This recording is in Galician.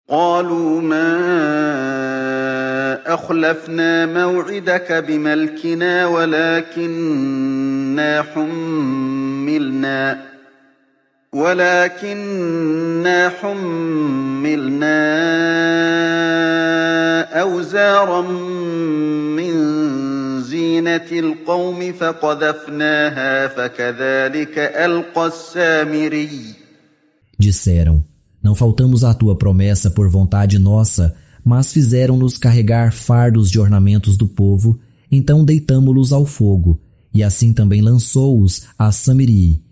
قالوا ما أخلفنا موعدك بملكنا ولكننا حملنا أوزارا من زينة القوم فقذفناها فكذلك ألقى السامري. Disseram: não faltamos à tua promessa por vontade nossa, mas fizeram-nos carregar fardos de ornamentos do povo, então deitamo-los ao fogo, e assim também lançou-os a Samiri.